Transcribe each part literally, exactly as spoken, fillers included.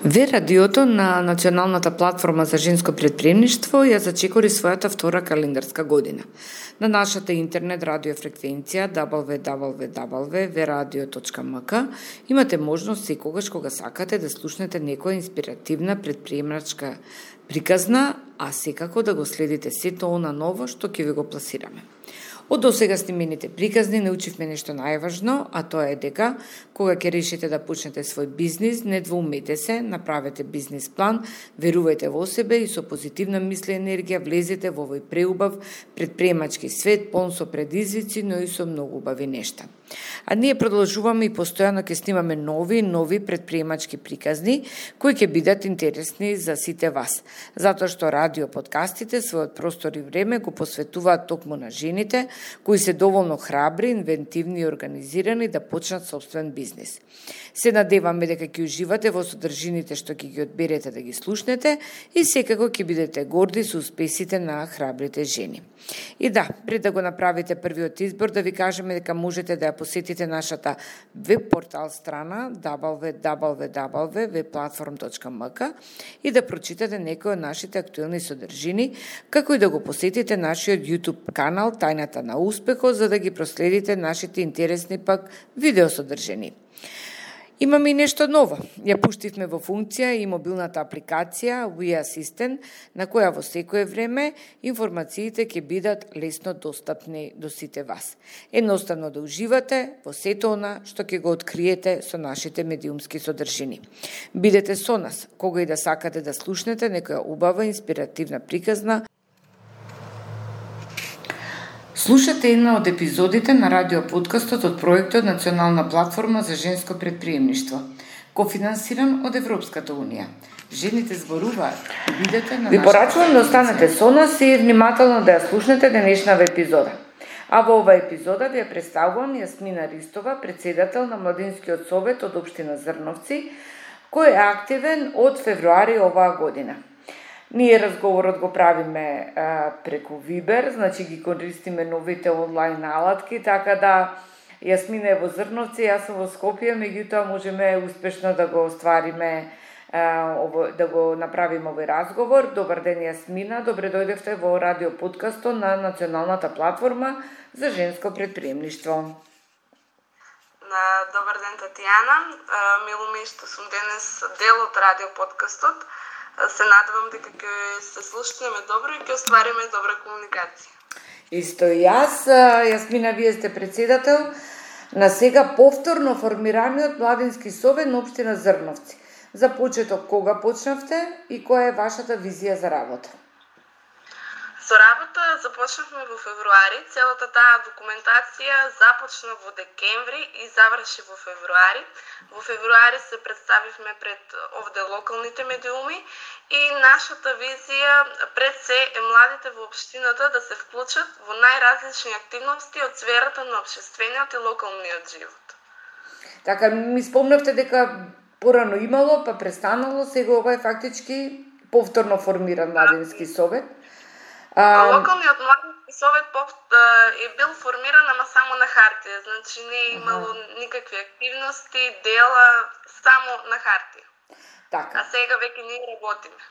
Ве радиото на Националната платформа за женско претприемништво ја зачекори својата втора календарска година. На нашата интернет радио фреквенција дабл ю дабл ю дабл ю точка ве радио точка ем ка имате можност секогаш кога сакате да слушнете некоја инспиративна претприемачка приказна, а секако да го следите сето она ново што ќе ви го пласираме. Од досега снимените приказни научивме нешто најважно, а тоа е дека кога ќе решите да почнете свој бизнис, не двоумете се, направете бизнис план, верувајте во себе и со позитивна мисла и енергија влезете во овој преубав претприемачки свет, полн со предизвици, но и со многу убави нешта. А ние продолжуваме и постојано ќе снимаме нови нови претприемачки приказни кои ќе бидат интересни за сите вас, затоа што радио подкастите својот простор и време го посветуваат токму на жените кои се доволно храбри, инвентивни и организирани да почнат собствен бизнис. Се надеваме дека ќе уживате во содржините што ќе ги одберете да ги слушнете и секако ќе бидете горди со успесите на храбрите жени. И да, пред да го направите првиот избор, да ви кажеме дека можете да ја посетите нашата веб портал страна дабл ю дабл ю дабл ю точка ве платформ точка ем ка и да прочитате некои од нашите актуелни содржини, како и да го посетите нашиот YouTube канал Тајната на успехот, за да ги проследите нашите интересни пак видео содржини. Имаме и нешто ново. Ја пуштивме во функција и мобилната апликација We Assistant, на која во секое време информациите ќе бидат лесно достапни до сите вас. Едноставно да уживате во сето она што ќе го откриете со нашите медиумски содржини. Бидете со нас, кога и да сакате да слушнете некоја убава инспиративна приказна. Слушате една од епизодите на радиоподкастот од проектот Национална платформа за женско претприемништво, кофинансиран од Европската унија. Жените зборуваат. Бидете на Ви порачувам да останете со нас и внимателно да ја слушнете денешнава епизода. А во оваа епизода ви ја представувам Јасмина Ристова, председател на Младинскиот совет од општина Зрновци, кој е активен од февруари оваа година. Ние разговорот го правиме а, преку Вибер, значи ги користиме новите онлайн алатки, така да Јасмина е во Зрновци, јас сум во Скопје, меѓутоа можеме успешно да го оствариме, а, ово, да го направиме овој разговор. Добар ден, Јасмина, добре дојдевте во радио подкастот на Националната платформа за женско претприемништво. На добар ден, Татјана. Мило ми што сум денес дел од радио подкастот. Се надевам дека ќе се слушнеме добро и ќе оствариме добра комуникација. Исто и јас, Јасмина, вие сте председател на сега повторно формираниот Младински совет на општина Зрновци. За почеток, кога почнавте и која е вашата визија за работа? Со работа започнавме во февруари, целата таа документација започна во декември и заврши во февруари. Во февруари се представивме пред овде локалните медиуми и нашата визија пред се е младите во општината да се вклучат во најразлични активности од сферата на општествениот и локалниот живот. Така, ми спомнавте дека порано имало, па престанало, сега ова е фактички повторно формиран Младински совет. А... Локалниот Младински совет е бил формиран, ама само на хартија, значи не е имало ага. никакви активности, дела, само на хартија. Така. А сега веќе ние работиме.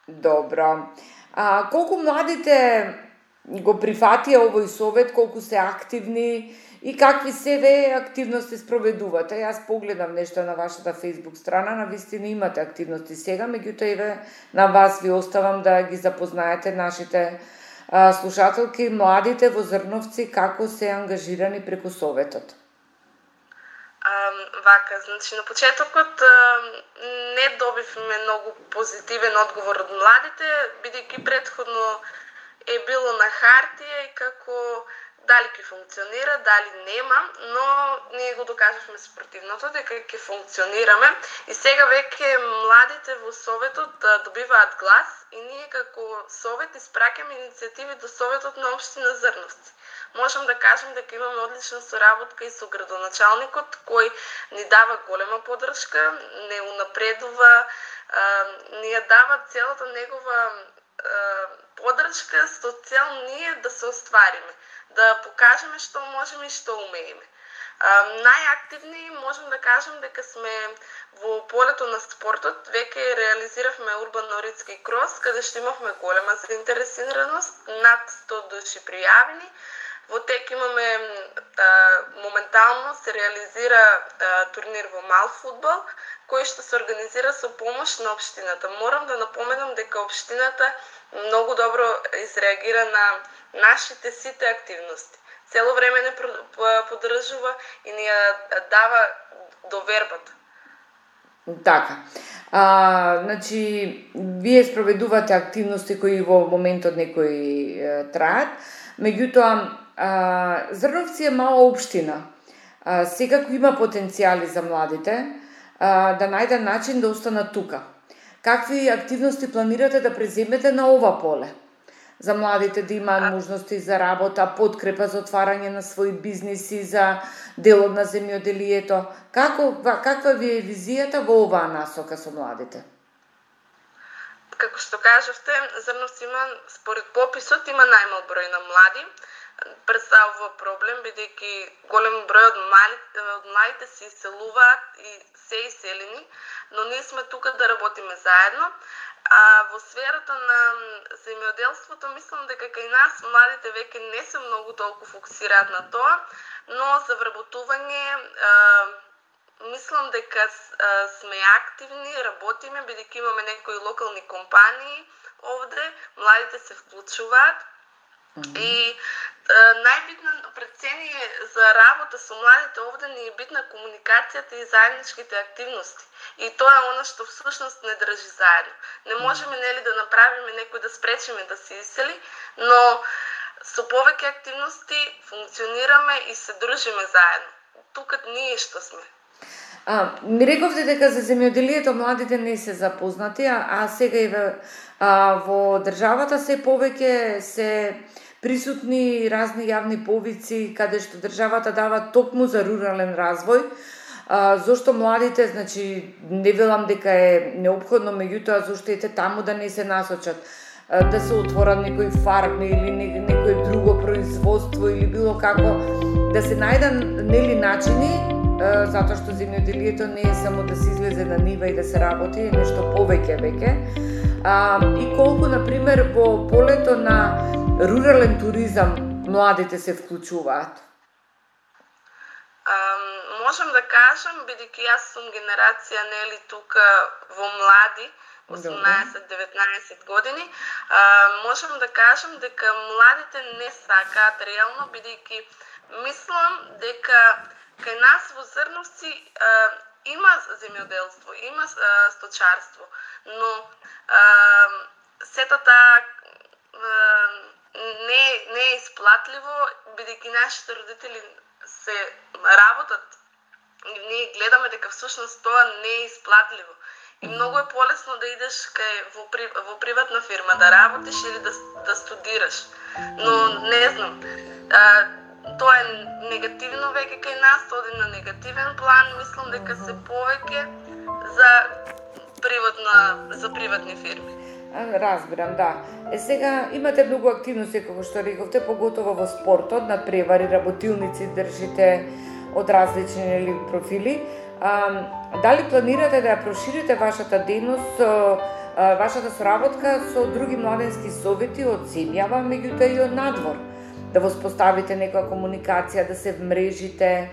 Добро. А колку младите го прифатија овој совет, колку се активни и какви себе активности спроведувате? Јас погледам нешто на вашата Facebook страна, на вистина имате активности сега, меѓутоа и на вас ви оставам да ги запознаете нашите а, слушателки, младите во Зрновци, како се ангажирани преку советот. А, вака, значи на почетокот а, не добивме многу позитивен одговор од младите, бидејќи претходно е било на хартија и како дали ќе функционира, дали нема, но ние го докажавме спротивното дека ќе функционираме и сега веќе младите во советот да добиваат глас и ние како совет испраќаме иницијативи до советот на општина Зрновци. Можам да кажем дека имаме одлична соработка и со градоначалникот кој ни дава голема поддршка, не унапредува, ни ја дава целата негова поддршка со цел ние да се оствариме, да покажеме што можеме и што умееме. Најактивни можем да кажем дека сме во полето на спортот. Веќе реализиравме Урбан Норитски крос, каде што имавме голема заинтересираност, над сто души пријавени. Во тек имаме а, моментално се реализира а, турнир во мал фудбал, кој што се организира со помош на општината. Морам да напоменам дека општината многу добро изреагира на нашите сите активности. Цело време не поддржува и ни ја дава довербата. Така. А, значи, вие спроведувате активности кои во моментот некои е, траат, меѓутоа, а, Зрновци е мала општина. А, секако има потенцијали за младите а, да најдат начин да останат тука. Какви активности планирате да преземете на ова поле? За младите да имаат можности за работа, подкрепа за отварање на своји бизниси, за делот на земјоделието. Како, каква ви е визијата во оваа насока со младите? Како што кажавте, Зрновци има, според пописот, има најмал број на млади. Представува проблем, бидејќи голем број од младите, од младите се иселуваат и се иселени, но ние сме тука да работиме заедно. А во сферата на земјоделството, мислам дека кај нас младите веќе не се многу толку фокусираат на тоа, но за вработување а, мислам дека а, сме активни, работиме, бидејќи имаме некои локални компании овде, младите се вклучуваат. Mm-hmm. И најбитна прецение за работа со младите овде ни е битна комуникацијата и заедничките активности. И тоа е она што всушност не држи заедно. Не можеме нели да направиме некој да спречиме да се исели, но со повеќе активности функционираме и се дружиме заедно. Тука ние што сме. А, ми рековте дека за земјоделието младите не се запознати, а, а сега и во, а, во државата се повеќе се присутни разни јавни повици каде што државата дава токму за рурален развој. А, зошто младите, значи, не велам дека е неопходно, меѓутоа зошто ете таму да не се насочат, а, да се отворат некои фарми или не, некој друго производство или било како, да се најдат нели начини, а, затоа што земјоделието не е само да се излезе на нива и да се работи, е нешто повеќе веќе. А, и колку, например, во полето на рурален туризам младите се вклучуваат? Um, можам да кажам, бидејќи јас сум генерација нели тука во млади, осумнаесет-деветнаесет години, uh, можам да кажам дека младите не сакаат реално, бидејќи мислам дека кај нас во Зрновци uh, има земјоделство, има uh, сточарство, но uh, сето таа uh, не, не е исплатливо, бидејќи нашите родители се работат. Ние гледаме дека всушност тоа не е исплатливо. И многу е полесно да идеш кај во, при, во приватна фирма да работиш или да, да студираш. Но не знам, а, тоа е негативно веќе кај нас, тоа е на негативен план, мислам дека се повеќе за приватна за приватни фирми. Разбирам, да. Е сега имате многу активности, како што рековте, поготово во спортот, надпревари, работилници држите од различни нели профили. А, дали планирате да ја проширите вашата дејност, вашата соработка со други младенски совети од земјава, меѓутоа и од надвор? Да воспоставите некоја комуникација, да се вмрежите,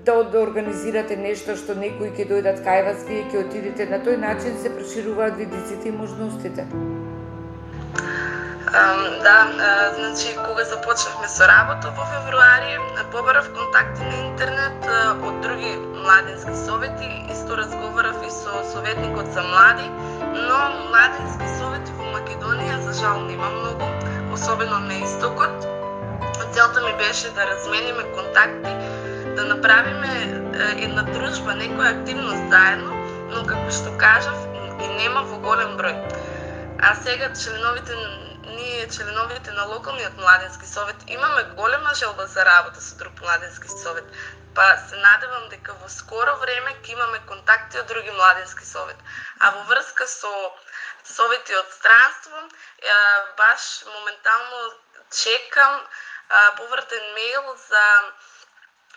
да, да организирате нешто што некои ќе дојдат кај вас, вие ќе отидете, на тој начин се прошируваат видиците и можностите. Um, да, uh, значи кога започнавме со работа во февруари, побарав контакти на интернет uh, од други младенски совети, исто разговарав и со советникот за млади, но младенски совети во Македонија за жал нема многу, особено на истокот. Целта ми беше да размениме контакти, да направиме една дружба, некоја активност заедно, но како што кажав, и нема во голем број. А сега членовите, ние членовите на локалниот младенски совет имаме голема желба за работа со друг младенски совет. Па се надевам дека во скоро време ќе имаме контакти од други младенски совет. А во врска со совети од странство, баш моментално чекам повртен мејл за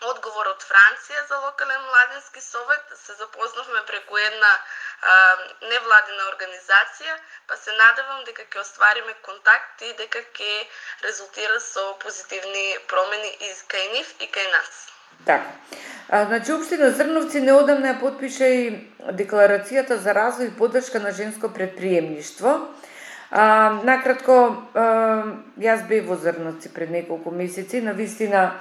одговор од Франција за локален младински совет. Се запознавме преку една а, невладина организација, па се надевам дека ќе оствариме контакт и дека ќе резултира со позитивни промени и кај нив и кај нас. Така. А, значи, Општина Зрновци неодамна ја потпиша и декларацијата за развој и поддршка на женско предприемништво. А, накратко, а, јас бев во Зрновци пред неколку месеци, навистина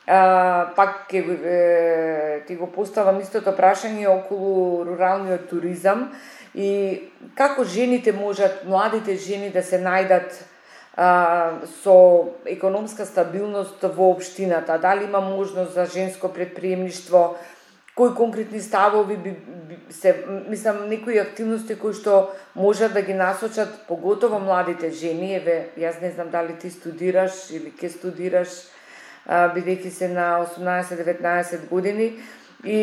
а, пак ке, е, ти го поставам истото прашање околу руралниот туризам и како жените можат, младите жени да се најдат а, со економска стабилност во општината, дали има можност за женско предприемништво, кои конкретни ставови би, би се, мислам, некои активности кои што можат да ги насочат поготово младите жени. Еве, јас не знам дали ти студираш или ќе студираш, бидејќи се на осумнаесет-деветнаесет години, и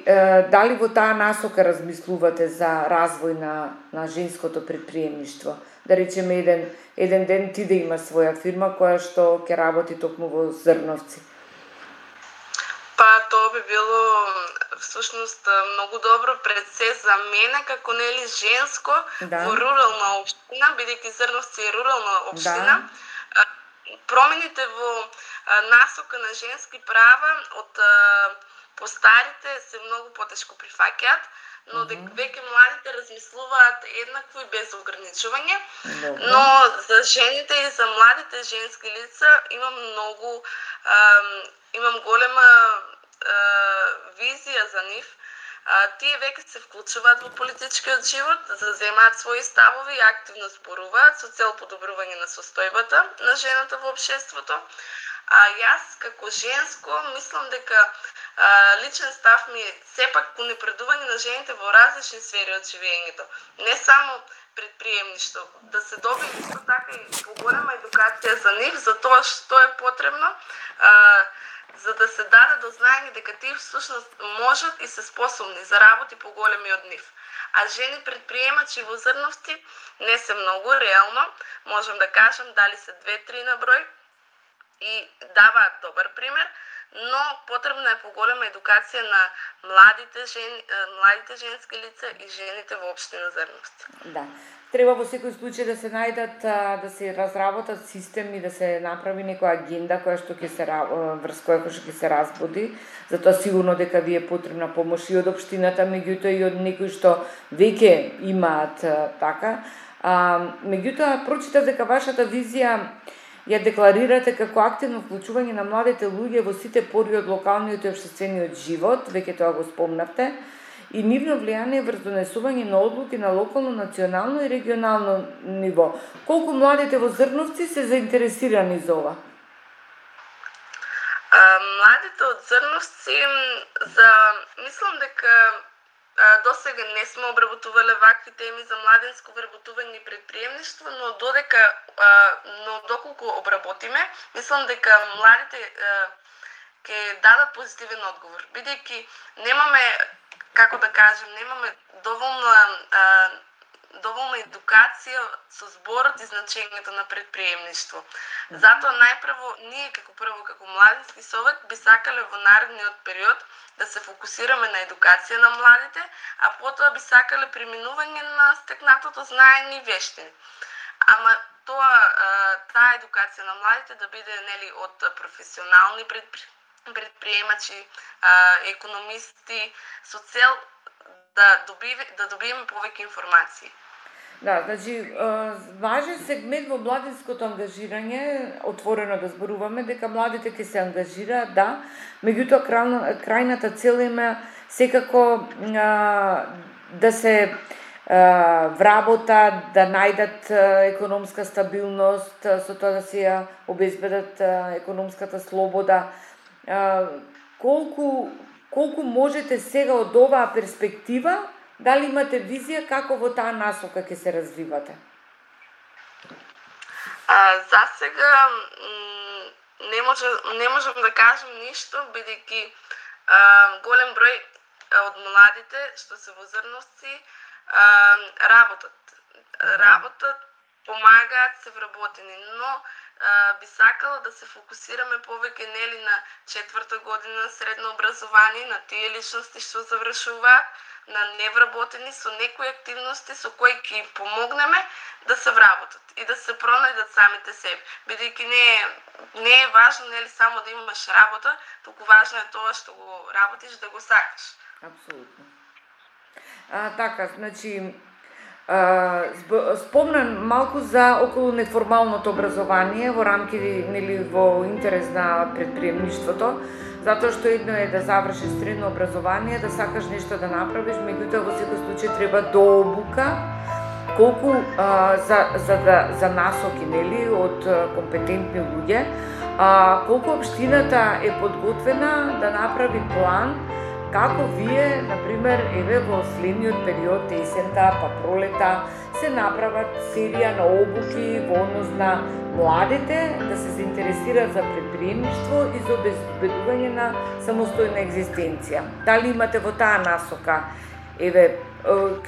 е, дали во таа насока размислувате за развој на, на женското предприемништво? Да речеме, еден, еден ден ти да има своја фирма која што ќе работи токму во Зрновци. Па, тоа би било всушност многу добро пред се за мене како нели женско, да, во рурална општина, бидејќи Зрновци е рурална општина. Да. Промените во насока на женски права од постарите се многу потешко прифаќаат, но дека веќе младите размислуваат еднакво и без ограничување. Добре. Но за жените и за младите женски лица имам многу, а, имам голема а, визија за нив. А, тие веќе се вклучуваат во политичкиот живот, заземаат своји ставови и активно зборуваат со цел подобрување на состојбата на жената во општеството. А јас како женско мислам дека а, личен став ми е сепак унапредување на жените во различни сфери од живењето. Не само предприемништво, да се добие исто така и поголема едукација за нив, за тоа што е потребно, а, за да се даде до знаење дека тие всушност можат и се способни за работи поголеми од нив. А жени предприемачи во Зрновци не се многу, реално, можам да кажам, дали се две-три на број и даваат добар пример, но потребна е поголема едукација на младите жени, младите женски лица и жените во општина Зрновци. Да. Треба во секој случај да се најдат, да се разработат системи, да се направи некоја агенда која што ќе се врз која што ќе се разбуди. Затоа сигурно дека ви е потребна помош и од општината, меѓутоа и од некои што веќе имаат така. А, меѓутоа прочитав дека вашата визија ја декларирате како активно вклучување на младите луѓе во сите пори од локалниот и општествениот живот, веќе тоа го спомнавте, и нивно влијание врз донесување на одлуки на локално, национално и регионално ниво. Колку младите во Зрновци се заинтересирани за ова? А, младите од Зрновци, за мислам дека до сега не сме обработувале вакви теми за младинско вработување и предприемништво, но додека, но доколку обработиме, мислам дека младите ќе дадат позитивен одговор, бидејќи немаме, како да кажем, немаме доволна доволна едукација со зборот и значењето на предприемништво. Затоа најпрво ние како прво како младински совет би сакале во наредниот период да се фокусираме на едукација на младите, а потоа би сакале преминување на стекнатото знаење и вештини. Ама тоа таа едукација на младите да биде нели од професионални предпри... предприемачи, економисти, со цел да добиме да добиеме повеќе информации. Да, значи, важен сегмент во младинското ангажирање, отворено да зборуваме, дека младите ќе се ангажираат, да, меѓутоа крајната цел има секако а, да се а, вработат, да најдат економска стабилност, со тоа да се ја обезбедат економската слобода. А, колку, колку можете сега од оваа перспектива, дали имате визија како во таа насока ќе се развивате? А, за сега не може не можам да кажам ништо, бидејќи голем број од младите што се во Зрновци работат. Работат, помагаат, се вработени, но би сакала да се фокусираме повеќе нели на четврта година средно образование, на тие личности што завршуваат, на невработени со некои активности со кои ќе помогнеме да се вработат и да се пронајдат самите себе. Бидејќи не е, не е важно нели само да имаш работа, туку важно е тоа што го работиш да го сакаш. Апсолутно. А, така, значи, а, спомнам малку за околу неформалното образование во рамки нели во интерес на предприемништвото, затоа што едно е да завршиш средно образование, да сакаш нешто да направиш, меѓутоа во секој случај треба дообука, колку а, за за да за насоки нели од компетентни луѓе, а колку општината е подготвена да направи план како вие, например, еве во следниот период, есента, па пролета, се направат серија на обуки во однос на младите да се заинтересираат за предприемништво и за обезбедување на самостојна екзистенција. Дали имате во таа насока, еве,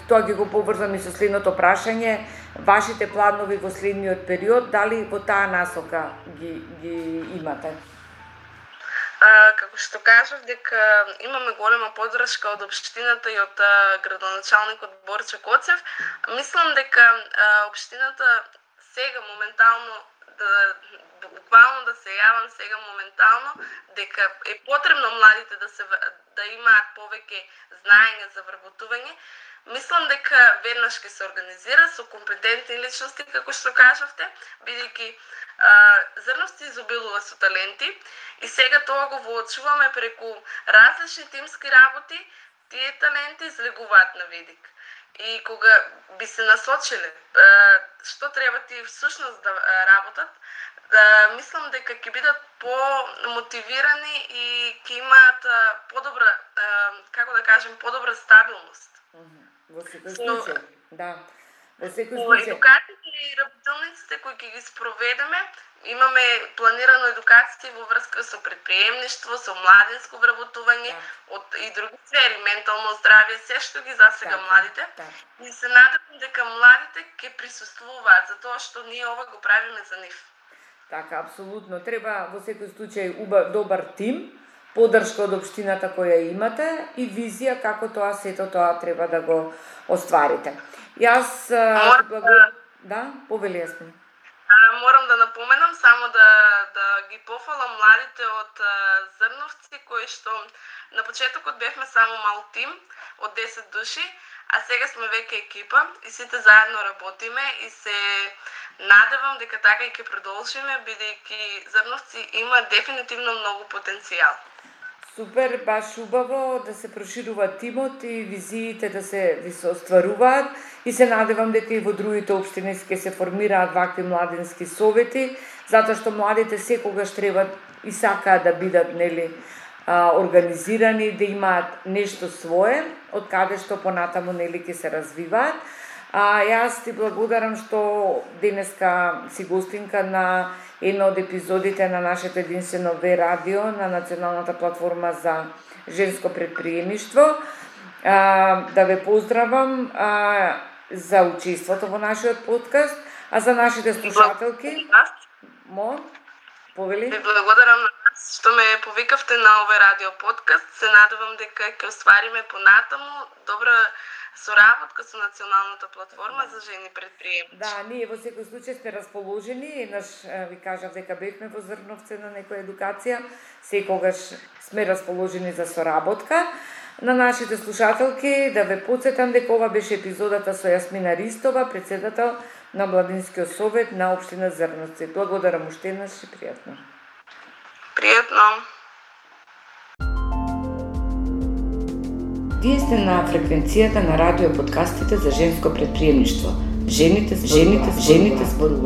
тоа ги го поврзам и со следното прашање, вашите планови во следниот период, дали во таа насока ги, ги имате? А, како што кажав, дека имаме голема поддршка од општината и од а, градоначалникот Борче Коцев. Мислам дека а, општината сега моментално да буквално да се јавам сега моментално дека е потребно младите да се да имаат повеќе знаење за вработување. Мислам дека веднаш ќе се организира со компетентни личности, како што кажавте, бидејќи Зрновци изобилува со таленти и сега тоа го воочуваме преку различни тимски работи, тие таленти излегуваат на видик. И кога би се насочиле што треба тие всушност да работат, да мислам дека ќе бидат по-мотивирани и ќе имаат подобра, како да кажем, подобра стабилност. Во секој случај, да. Во секој случај. случај. Едукациите и работилниците кои ќе ги спроведеме, имаме планирано едукации во врска со предприемништво, со младинско вработување, да. Од и други сфери, ментално здравје, се што ги засега да, младите. Да. И се надевам дека младите ќе присуствуваат, затоа што ние ова го правиме за нив. Така, апсолутно. Треба во секој случај убав, добар тим, поддршка од општината која имате и визија како тоа сето тоа треба да го остварите. Јас Морам, благо... да, повели јасно. Морам да напоменам само да да ги пофалам младите од Зрновци кои што на почетокот бевме само мал тим од десет души, а сега сме веќе екипа и сите заедно работиме и се надевам дека така и ќе продолжиме, бидејќи Зрновци има дефинитивно многу потенцијал. Супер, баш убаво да се проширува тимот и визиите да се ви се остваруваат и се надевам дека и во другите општини ќе се формираат вакви младински совети, затоа што младите секогаш треба и сакаат да бидат нели организирани, да имаат нешто свое, од каде што понатаму нели ќе се развиваат. А јас ти благодарам што денеска си гостинка на една од епизодите на нашето единствено Ве радио на Националната платформа за женско предприемништво. А, да ве поздравам а, за учеството во нашиот подкаст, а за нашите слушателки. Мо, повели? Ви благодарам на вас што ме повикавте на овој радио подкаст. Се надевам дека ќе оствариме понатаму добра соработка со Националната платформа за жени предприемачи. Да, ние во секој случај сме расположени, еднаш ви кажав дека бевме во Зрновци на некоја едукација, секогаш сме расположени за соработка. На нашите слушателки да ве потсетам дека ова беше епизодата со Јасмина Ристова, председател на Младинскиот совет на општина Зрновци. Благодарам уште еднаш и пријатно. Пријатно. Вие сте на фреквенцијата на радио подкастите за женско предприемништво. Жените, жените, жените зборуваат.